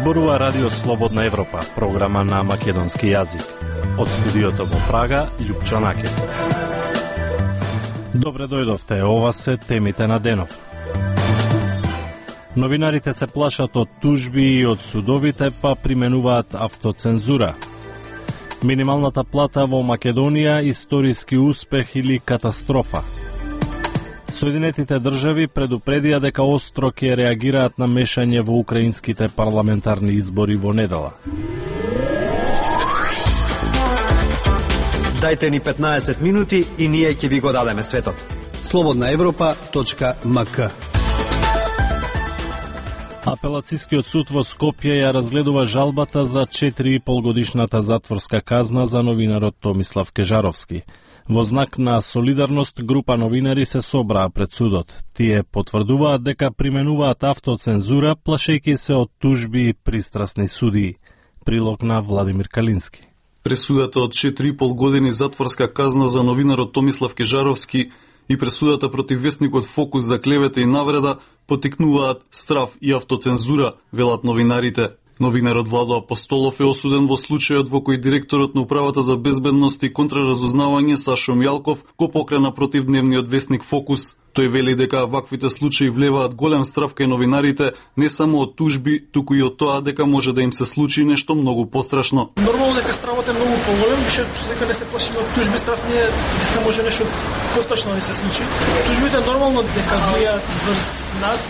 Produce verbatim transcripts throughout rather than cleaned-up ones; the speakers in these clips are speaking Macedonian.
Зборува Радио Слободна Европа, програма на македонски јазик. Од студиото во Прага, Љупчо Накет. Добре дојдовте, ова се темите на денов. Новинарите се плашат од тужби и од судовите, па применуваат автоцензура. Минималната плата во Македонија, историски успех или катастрофа. Соединетите држави предупредија дека остро ќе реагираат на мешање во украинските парламентарни избори во недела. Дајте ни петнаесет минути и ние ќе ви го дадеме светот. слободна европа точка ем ка. Апелацискиот суд во Скопје ја разгледува жалбата за четири и пол годишната затворска казна за новинарот Томислав Кежаровски. Во знак на солидарност, група новинари се собраа пред судот. Тие потврдуваат дека применуваат автоцензура, плашејќи се од тужби и пристрасни судии. Прилог на Владимир Калински. Пресудата од четири и пол години затворска казна за новинарот Томислав Кежаровски и пресудата против весникот Фокус за клевета и навреда потикнуваат страф и автоцензура, велат новинарите. Новинарот Владо Апостолов е осуден во случајот во кој директорот на Управата за безбедност и контраразузнавање Сашо Мјалков го покрена против дневниот весник Фокус. Тој вели дека ваквите случаи влеваат голем страф кај новинарите, не само од тужби, туку и од тоа дека може да им се случи нешто многу пострашно. Нормално дека стравот е многу поголем, више дека не се плашиме од тужби, страф не е дека може нешто пострашно да се случи. Тужбите нормално дека влијаат врз нас,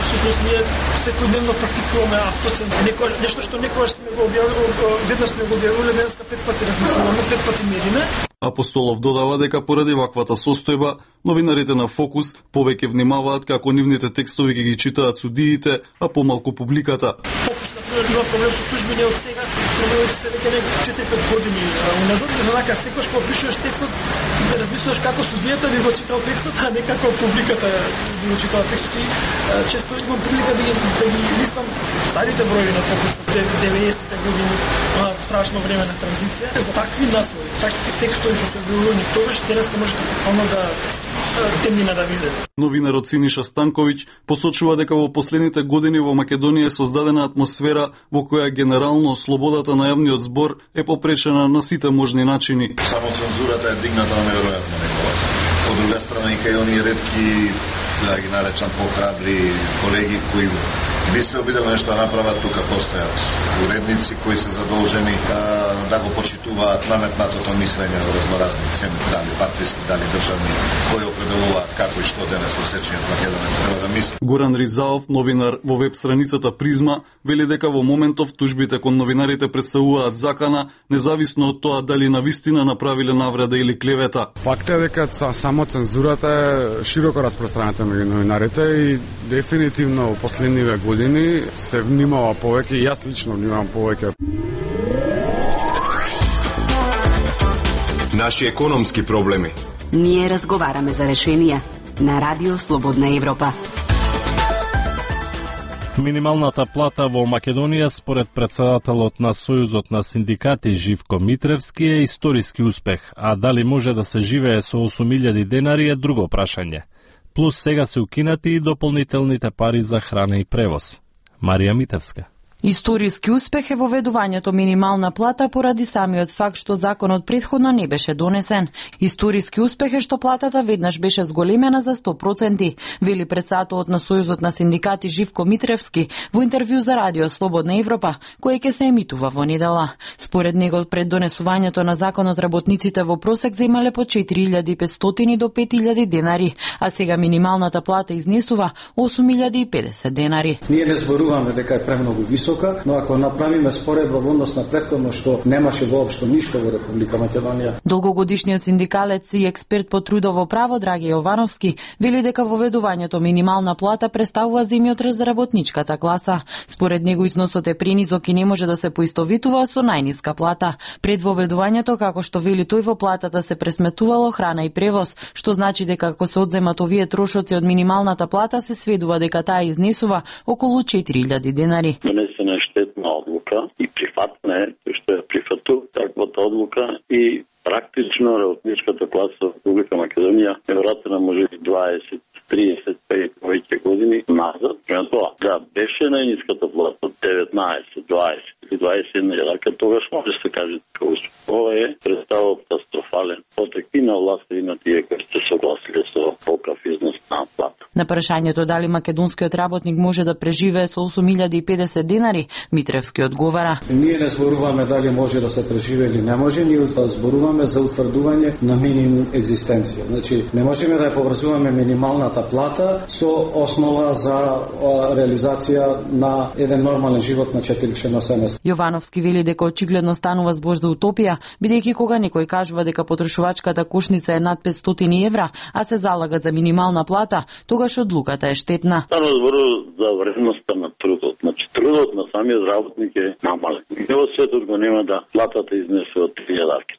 всушност ние секојдневно практикуваме автоцензура. Некој нешто што некогаш сме го објавиле, веднаш сме го објавиле, денеска пет пати размислуваме, пет пати мериме. Апостолов додава дека поради ваквата состојба, новинарите на Фокус повеќе внимаваат како нивните текстови ги ги читаат судиите, а помалку публиката. Фокус, например, има проблем со тужби не од сега, проблемот се веќе некои четири-пет години уназад. Однака секогаш кога пишуваш текстот, да размислуваш како судијата би го читал текстот, а не како публиката би го читала текстот. И често имам прилика да ги, да ги листам старите броји на Фокус од деветдесетите години, страшно време на транзиција. За такви наслови, такви текстови што се објавувани тогаш, денеска можете буквално да темнина да визе. Новинарот Синиша Станковиќ посочува дека во последните години во Македонија е создадена атмосфера во која генерално слободата на јавниот збор е попречена на сите можни начини. Само цензурата е дигната на неверојатно ниво. Од друга страна и кај оние ретки, да ги наречам похрабри колеги кои би се обидели нешто да направат, тука постојат уредници кои се задолжени да, да го почитуваат наметнатото мислење од разноразни цени, дали партиски, дали државни, кои определуваат како и што денес просечниот македонец треба да мисли. Горан Ризаов, новинар во веб страницата Призма, вели дека во моментов тужбите кон новинарите представуваат закана, независно од тоа дали навистина направиле навреда или клевета. Факт е дека само цензурата е широко распространета меѓу новинарите и дефинитивно во последниве години се внимава повеќе и јас лично внимавам повеќе. Наши економски проблеми. Ние разговараме за решенија на Радио Слободна Европа. Минималната плата во Македонија според претседателот на Сојузот на синдикати Живко Митревски е историски успех, а дали може да се живее со осум илјади денари е друго прашање. Плюс сега се укинати и дополнителните пари за храна и превоз. Марија Митевска. Историски успех е воведувањето минимална плата поради самиот факт што законот претходно не беше донесен. Историски успех е што платата веднаш беше зголемена за сто проценти, вели претседателот на Сојузот на синдикати Живко Митревски во интервју за Радио Слободна Европа, кој ќе се емитува во недела. Според него пред донесувањето на законот работниците во просек земале по четири илјади и петстотини до пет илјади денари, а сега минималната плата изнесува осум илјади и педесет денари. Ние не зборуваме дека е премногу висока, но ако направиме споредба во однос на претходно што немаше воопшто ништо во Република Македонија. Долгогодишниот синдикалец и експерт по трудово право Драги Јовановски вели дека воведувањето минимална плата представува земјотрес за работничката класа. Според него износот е пренизок и не може да се поистовитува со најниска плата. Пред воведувањето, како што вели тој, во платата се пресметувало храна и превоз, што значи дека ако се одземат овие трошоци од минималната плата, се сведува дека таа изнесува околу четири илјади денари. Штетна одлука и прифатна е, тој што ја прифату таквата одлука и практично работничката класа во Република Македонија е вратена може би дваесет триесет пет повеќе години назад. Према тоа, да беше најниската плата од деветнаесет, дваесет или дваесет и една илјака, тогаш може да се каже дека ова е представа катастрофален потек и на власта и на тие кои се согласиле со покав износ на плата. На прашањето дали македонскиот работник може да преживее со осум илјади и педесет денари, Митревски одговара: Ние не зборуваме дали може да се преживее или не може, ние зборуваме за утврдување на минимум екзистенција. Значи, не можеме да ја поврзуваме минималната плата со основа за реализација на еден нормален живот на четиричленно семејство. Јовановски вели дека очигледно станува збор за утопија, бидејќи кога некој кажува дека потрошувачката кошница е над петстотини евра, а се залага за минимална плата, тогаш одлуката е штетна. Станува збор за вредноста на трудот. Значи, трудот на самиот работник е намален. Нигде во светот го нема да платата изнесе од три илјади.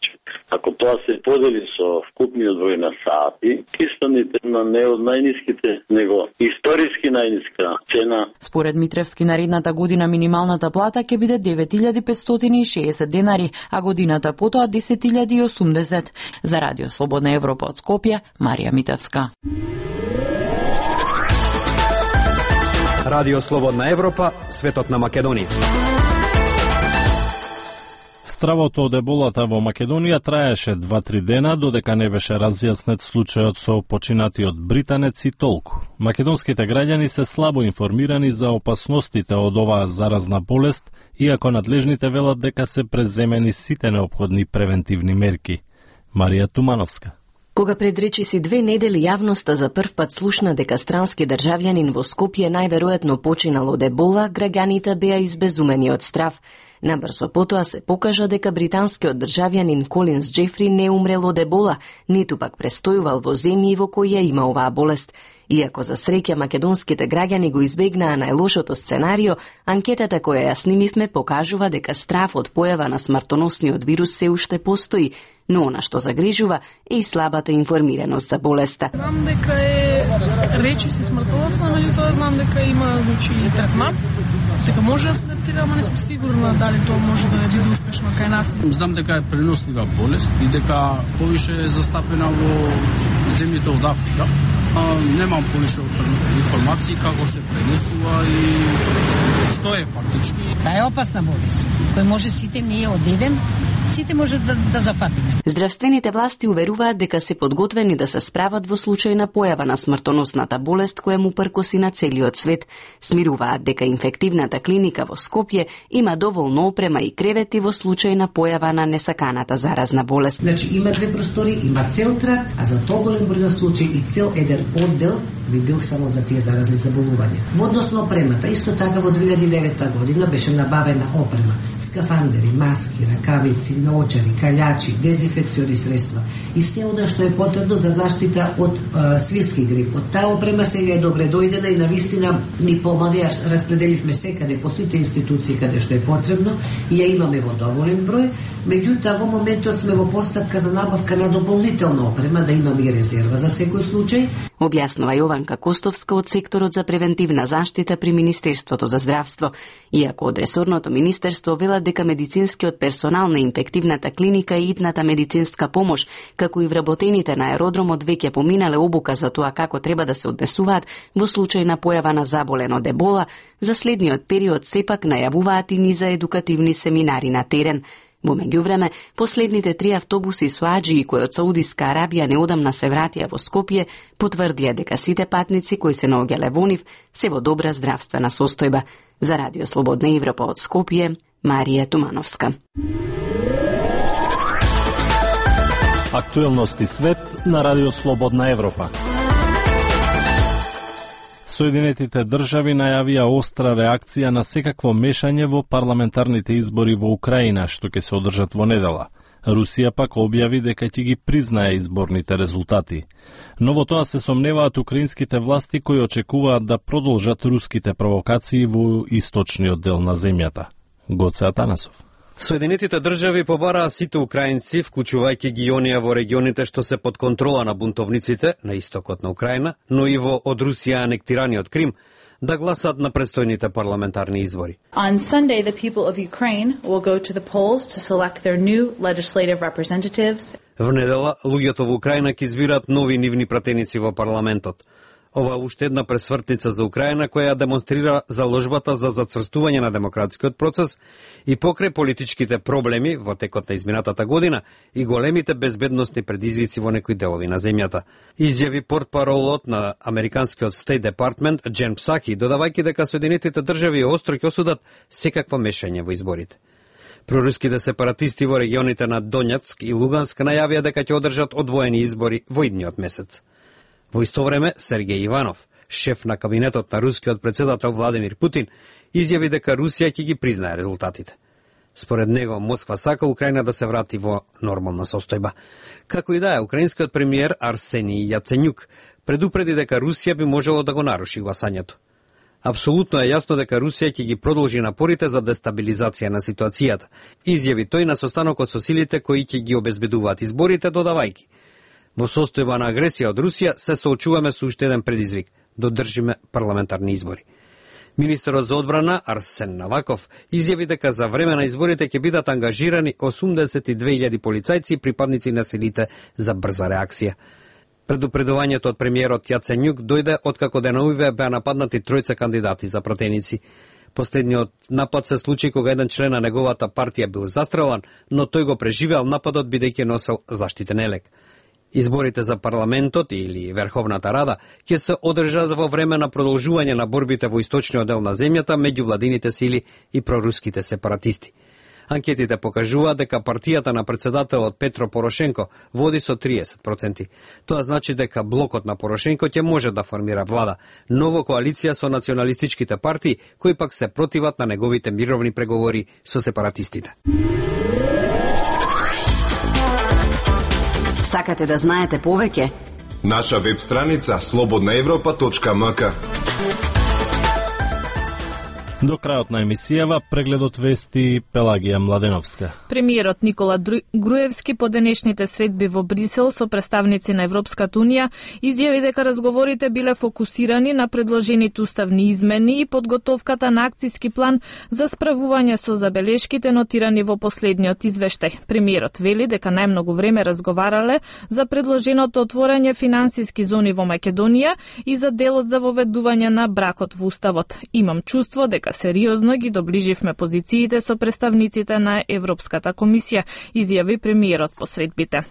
Ако тоа се подели со вкупниот број на сати, кистаните на не од најниските, него историски најниска цена. Според Митревски, наредната година минималната плата ќе биде девет илјади петстотини и шеесет денари, а годината потоа десет илјади и осумдесет. За Радио Слободна Европа од Скопје, Марија Митевска. Радио Слободна Европа, светот на Македонија. Стравото од еболата во Македонија траеше два-три дена, додека не беше разјаснет случајот со починатиот британец и толку. Македонските граѓани се слабо информирани за опасностите од оваа заразна болест, иако надлежните велат дека се преземени сите неопходни превентивни мерки. Марија Тумановска. Кога пред речиси две недели јавноста за прв пат слушна дека странски државјанин во Скопје најверојатно починал од ебола, граѓаните беа избезумени од страв. Набрзо потоа се покажа дека британскиот државјанин Колинс Џефри не умрел од ебола, ниту пак престојувал во земји во кои ја има оваа болест. Иако за среќа македонските граѓани го избегнаа најлошото сценарио, анкетата која ја снимивме покажува дека страв од појава на смртоносниот вирус се уште постои, но она што загрижува е и слабата информираност за болеста. Знам дека е речиси смртоносна, меѓутоа знам дека има значи третман, дека може да се третира, ама не сум сигурна дали тоа може да биде успешно кај нас. Знам дека е пренослива болест и дека повише е застапена во земјите од Африка. А, немам повише информации како се пренесува и што е фактички. Таа е опасна болест, кој може сите ние од еден, сите може да, да зафатиме. Здравствените власти уверуваат дека се подготвени да се справат во случај на појава на смртоносната болест која му пркоси на целиот свет. Смируваат дека инфективната клиника во Скопје има доволно опрема и кревети во случај на појава на несаканата заразна болест. Значи има две простори, има цел тракт, а за поголем број на случаи и цел еден оддел би бил само за тие заразни заболувања. Во однос на опремата, исто така во две илјади и девета година беше набавена опрема, скафандери, маски, ракавици, наочари, калјачи, дезинфекциони средства и се она што е потребно за заштита од е, свирски грип. Од таа опрема сега е добре дојдена и навистина ни помага, ја распределивме секаде по сите институции каде што е потребно и ја имаме во доволен број. Меѓутоа во моментот сме во постапка за набавка на дополнителна опрема, да имаме и резерва за секој случај. Објаснува Јованка Костовска од секторот за превентивна заштита при Министерството за здравство. Иако од ресорното министерство велат дека медицинскиот персонал на инфективната клиника и итната медицинска помош, како и вработените на аеродромот веќе поминале обука за тоа како треба да се однесуваат во случај на појава на заболен од ебола, за следниот период сепак најавуваат и низа едукативни семинари на терен. Во меѓувреме, последните три автобуси со аџии кои од Саудиска Арабија неодамна се вратија во Скопје, потврдија дека сите патници кои се наоѓале во нив се во добра здравствена состојба. За Радио Слободна Европа од Скопје, Марија Тумановска. Актуелности свет на Радио Слободна Европа. Соединетите држави најавија остра реакција на секакво мешање во парламентарните избори во Украина, што ќе се одржат во недела. Русија пак објави дека ќе ги признае изборните резултати. Но во тоа се сомневаат украинските власти кои очекуваат да продолжат руските провокации во источниот дел на земјата. Гоце Атанасов. Соединетите држави побараа сите украинци, вклучувајќи ги оние во регионите што се под контрола на бунтовниците на истокот на Украина, но и во од Русија анектираниот Крим, да гласат на престојните парламентарни избори. On Sunday, the people of Ukraine will go to the polls to select their new legislative representatives. В недела, луѓето во Украина ќе избираат нови нивни пратеници во парламентот. Ова уште една пресвртница за Украина која ја демонстрира заложбата за зацврстување на демократскиот процес и покрај политичките проблеми во текот на изминатата година и големите безбедносни предизвици во некои делови на земјата. Изјави портпаролот на американскиот State Department Джен Псаки, додавајќи дека Соединетите држави остро ќе осудат секакво мешање во изборите. Проруските сепаратисти во регионите на Донецк и Луганск најавија дека ќе одржат одвоени избори во идниот месец. Во исто време, Сергеј Иванов, шеф на кабинетот на рускиот председател Владимир Путин, изјави дека Русија ќе ги признае резултатите. Според него, Москва сака Украина да се врати во нормална состојба. Како и да е, украинскиот премиер Арсенij Јаценјук предупреди дека Русија би можело да го наруши гласањето. Апсолутно е јасно дека Русија ќе ги продолжи напорите за дестабилизација на ситуацијата, изјави тој на состанокот со силите кои ќе ги обезбедуваат изборите, додавајки: во состојба на агресија од Русија се соочуваме со уште еден предизвик – да одржиме парламентарни избори. Министерот за одбрана Арсен Наваков изјави дека за време на изборите ќе бидат ангажирани осумдесет и две илјади полицајци и припадници на силите за брза реакција. Предупредувањето од премиерот Јаценјук дојде откако деновиве беа нападнати тројца кандидати за пратеници. Последниот напад се случи кога еден член на неговата партија бил застрелан, но тој го преживеал нападот бидејќи носел заштитен елек. Изборите за парламентот или Верховната Рада ќе се одржат во време на продолжување на борбите во источниот дел на земјата меѓу владините сили и проруските сепаратисти. Анкетите покажуваат дека партијата на председателот Петро Порошенко води со триесет проценти. Тоа значи дека блокот на Порошенко ќе може да формира влада, но во коалиција со националистичките партии, кои пак се противат на неговите мировни преговори со сепаратистите. Сакате да знаете повеќе? Наша веб страница слободна европа точка ем ка. До крајот на емисијава прегледот вести Пелагија Младеновска. Премиерот Никола Груевски по денешните средби во Брисел со представници на Европската унија изјави дека разговорите биле фокусирани на предложените уставни измени и подготовката на акцијски план за справување со забелешките нотирани во последниот извештај. Премиерот вели дека најмногу време разговарале за предложеното отворање финансиски зони во Македонија и за делот за воведување на бракот во уставот. Имам чувство дека сериозно ги доближивме позициите со представниците на Европската комисија, изјави премиерот по средбите.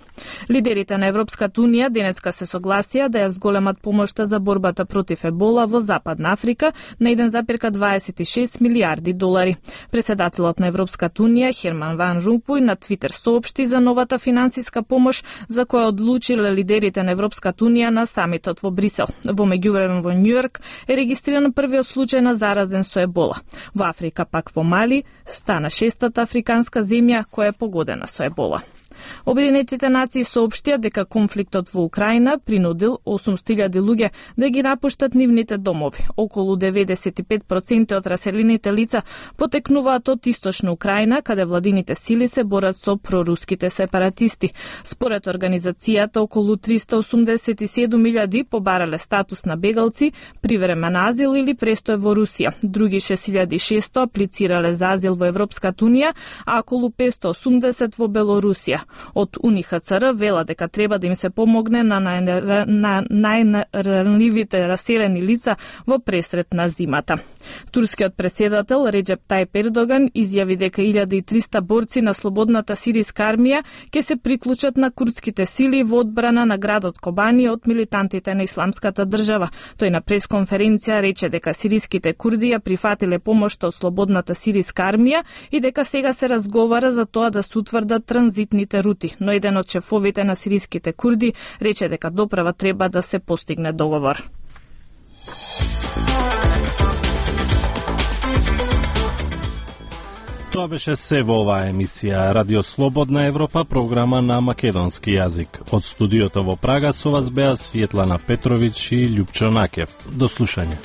Лидерите на Европската унија денеска се согласија да ја зголемат помошта за борбата против ебола во Западна Африка на еден запирка дваесет и шест милијарди долари. Председателот на Европската унија Херман Ван Ромпуј на Твитер соопшти за новата финансиска помош за која одлучиле лидерите на Европската унија на самитот во Брисел. Во меѓувреме во Њујорк е регистриран првиот случај на заразен со ебола. Во Африка, пак во Мали, стана шестата африканска земја која е погодена со ебола. Обединетите нации соопштија дека конфликтот во Украина принудил осумстотини илјади луѓе да ги напуштат нивните домови. Околу деветдесет и пет проценти од раселените лица потекнуваат од источна Украина, каде владините сили се борат со проруските сепаратисти. Според организацијата, околу триста осумдесет и седум илјади побарале статус на бегалци, привремен азил или престој во Русија. Други шест илјади и шесто аплицирале за азил во Европската унија, а околу петстотини и осумдесет во Белорусија. Од УН Х Ц Р вела дека треба да им се помогне на најранливите раселени лица во пресрет на зимата. Турскиот преседател Реджеп Тајип Ердоган изјави дека илјада и триста борци на слободната сириска армија ќе се приклучат на курдските сили во одбрана на градот Кобани од милитантите на Исламската држава. Тој на пресконференција рече дека сириските курди ја прифатиле помошта од слободната сириска армија и дека сега се разговара за тоа да се утврдат транзитните рути, но еден од шефовите на сириските курди рече дека доправа треба да се постигне договор. Тоа беше се во оваа емисија Радио Слободна Европа, програма на македонски јазик. Од студиото во Прага со вас беа Светлана Петровиќ и Љупчо Накев. До слушање.